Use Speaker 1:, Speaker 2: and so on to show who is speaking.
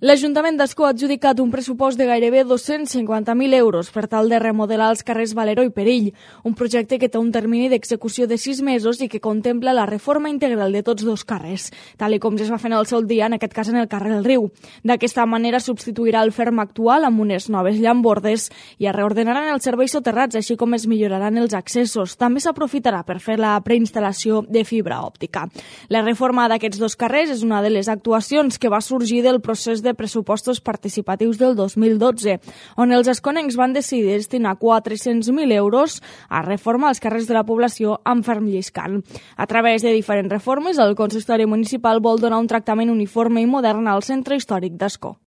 Speaker 1: L'Ajuntament d'Ascó ha adjudicat un pressupost de gairebé 250.000 euros per tal de remodelar els carrers Valero i Perill, un projecte que té un termini d'execució de 6 mesos i que contempla la reforma integral de tots dos carrers, tal com ja es va fer en el seu dia, en aquest cas en el carrer del Riu. D'aquesta manera substituirà el ferm actual amb unes noves llambordes i es reordenaran els serveis soterrats, així com es milloraran els accessos. També s'aprofitarà per fer la preinstal·lació de fibra òptica. La reforma d'aquests dos carrers és una de les actuacions que va sorgir del procés de pressupostos participatius del 2012, on els asconencs van decidir destinar 400.000 euros a reformar els carrers de la població amb ferm lliscant. A través de diferents reformes, el consistori municipal vol donar un tractament uniforme i modern al centre històric d'Ascó.